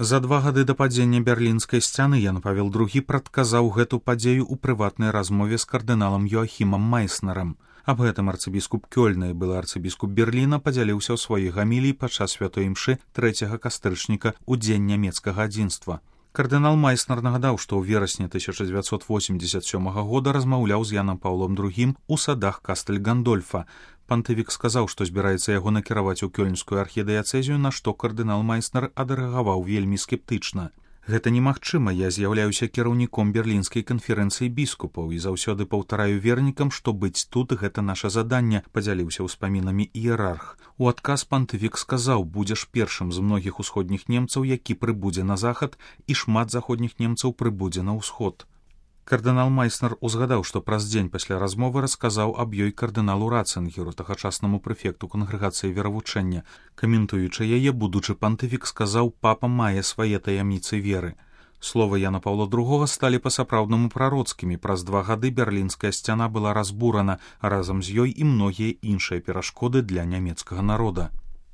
За 2 гады да падзення берлінскай сцяны Ян Павел II прадказаў гэту падзею ў прыватнай размове з кардыналам Йоахімам Майснерам. Аб гэтым арцыбіскуп Кёльна і былы арцыбіскуп Берліна падзяліўся ў сваёй гаміліі падчас святой імшы 3 кастрычніка ў дзень нямецкага адзінства. Кардынал Майснер нагадаў, што ў верасні 1987 года размаўляў з Янам Паўлом II у садах Кастэль-Гандольфа. Пантыфік сказаў, што збіраецца яго накіраваць у кёльнскую архідыяцэзію, на што кардынал Майснер адрэагаваў вельмі скептычна. Гэта немагчыма, я з'яўляюся кіраўніком берлінскай канферэнцыі біскупаў і заўсёды паўтараю вернікам, што быць тут гэта наша заданне, падзяліўся ўспамінамі іерарх. У адказ пантыфік сказаў, будзеш першым з многіх усходніх немцаў, які прыбудзе на захад, і шмат заходніх немцаў прыбудзе на ўсход. Кардынал Майснер узгадаў, што праз дзень пасля размовы расказаў аб ёй кардыналу Рацынгеру, тагачаснаму прэфекту кангрэгацыі веравучэння. Каментуючы яе, будучы пантыфік сказаў, папа мае свае таямніцы веры. Словы Яна Паўла II сталі па-сапраўднаму прароцкімі. Праз 2 гады берлінская сцяна была разбурана, а разам з ёй і многія іншыя перашкоды для нямецкага народа.